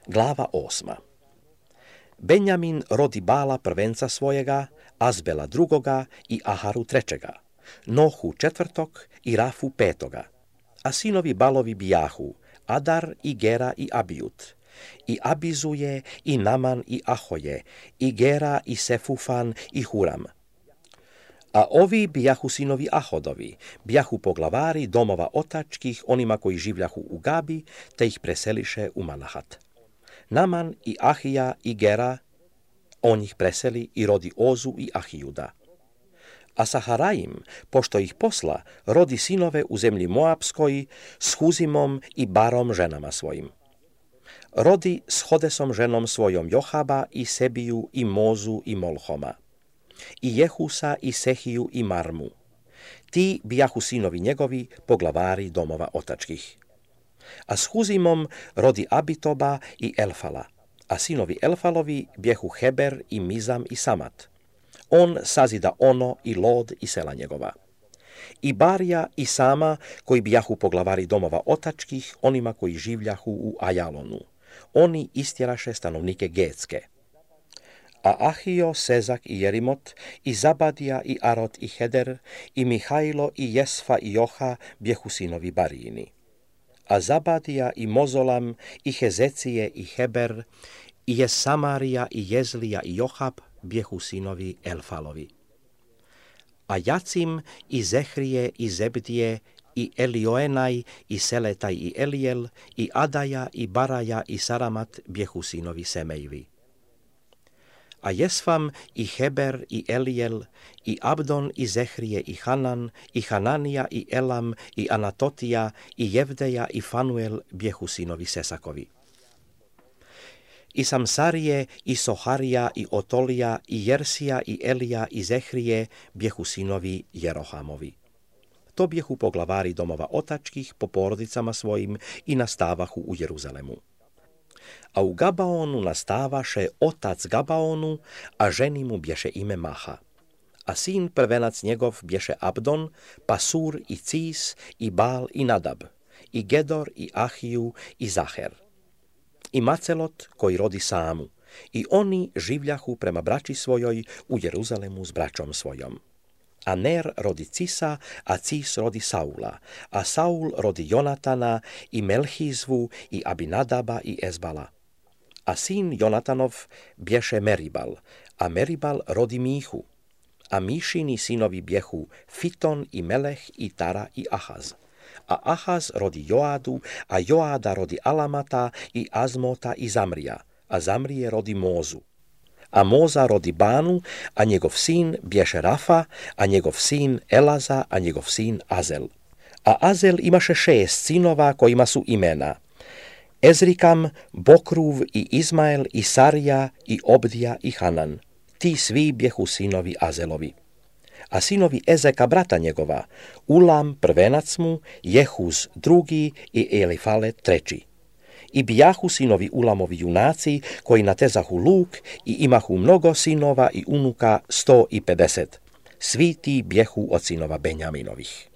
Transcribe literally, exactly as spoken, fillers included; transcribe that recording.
Glava osma. Benjamin rodi Bala prvenca svojega, Azbela drugoga i Aharu trećega, Nohu četvrtog i Rafu petoga. A sinovi Balovi bijahu, Adar i Gera i Abijut, i Abizuje i Naman i Ahoje, i Gera i Sefufan i Huram. A ovi bijahu sinovi Ahodovi, bijahu poglavari domova otačkih onima koji življahu u Gabi, te ih preseliše u Manahat. Naman i Ahija i Gera, on ih preseli i rodi Ozu i Ahijuda. A Saharaim, pošto ih posla, rodi sinove u zemlji Moabskoj s Huzimom i Barom ženama svojim. Rodi s Hodesom ženom svojom Johaba i Sebiju i Mozu i Molhoma, i Jehusa i Sehiju i Marmu. Ti bijahu sinovi njegovi, poglavari domova otačkih. A s Huzimom rodi Abitoba i Elfala, a sinovi Elfalovi bjehu Heber i Mizam i Samat. On sazida Ono i Lod i sela njegova. I Barija i Sama, koji bijahu poglavari domova otačkih, onima koji življahu u Ajalonu. Oni istjeraše stanovnike Getske. A Ahio, Sezak i Jerimot, i Zabadija i Arot i Heder, i Mihajlo i Jesfa i Joha bjehu sinovi Barijini. A Zabadija i Mozolam, i Hezecije i Heber, i Jesamarija i Jezlija i Johab bjehu sinovi Elfalovi. A Jacim i Zehrije i Zebdije, i Elioenaj i Seletaj i Elijel, i Adaja i Baraja i Saramat bjehu sinovi Semejevi. A Jesfam i Heber i Elijel, i Abdon i Zehrije i Hanan, i Hananija i Elam, i Anatotija, i Jevdeja i Fanuel bjehu sinovi Sesakovi. I Samsarije, i Soharija, i Otolija, i Jersija, i Elija, i Zehrije bjehu sinovi Jerohamovi. To bjehu poglavari domova otačkih po porodicama svojim i nastavahu u Jeruzalemu. A u Gabaonu nastavaše otac Gabaonu, a ženi mu bješe ime Maha. A sin prvenac njegov bješe Abdon, Pasur i Cis, i Bal i Nadab, i Gedor i Ahiju i Zaher. I Macelot koji rodi Samu, i oni življahu prema braći svojoj u Jeruzalemu s braćom svojom. A Ner rodi Cisa, a Cis rodi Saula, a Saul rodi Jonatana, i Melhizvu, i Abinadaba, i Ezbala. A sin Jonatanov bješe Meribal, a Meribal rodi Mihu, a Mišini sinovi bjehu Fiton, i Meleh, i Tara, i Ahaz. A Ahaz rodi Joadu, a Joada rodi Alamata, i Azmota, i Zamrija, a Zamrije rodi Mozu. A Moza rodi Banu, a njegov sin bješe Rafa, a njegov sin Elaza, a njegov sin Azel. A Azel imaše šest sinova kojima su imena Ezrikam, Bokruv, i Izmael, i Sarija, i Obdija, i Hanan. Ti svi bjehu sinovi Azelovi. A sinovi Ezeka brata njegova, Ulam prvenac mu, Jehuz drugi i Elifalet treći. I bijahu sinovi Ulamovi junaci, koji natezahu luk, i imahu mnogo sinova i unuka sto i pedeset. Svi ti bjehu od sinova Benjaminovih.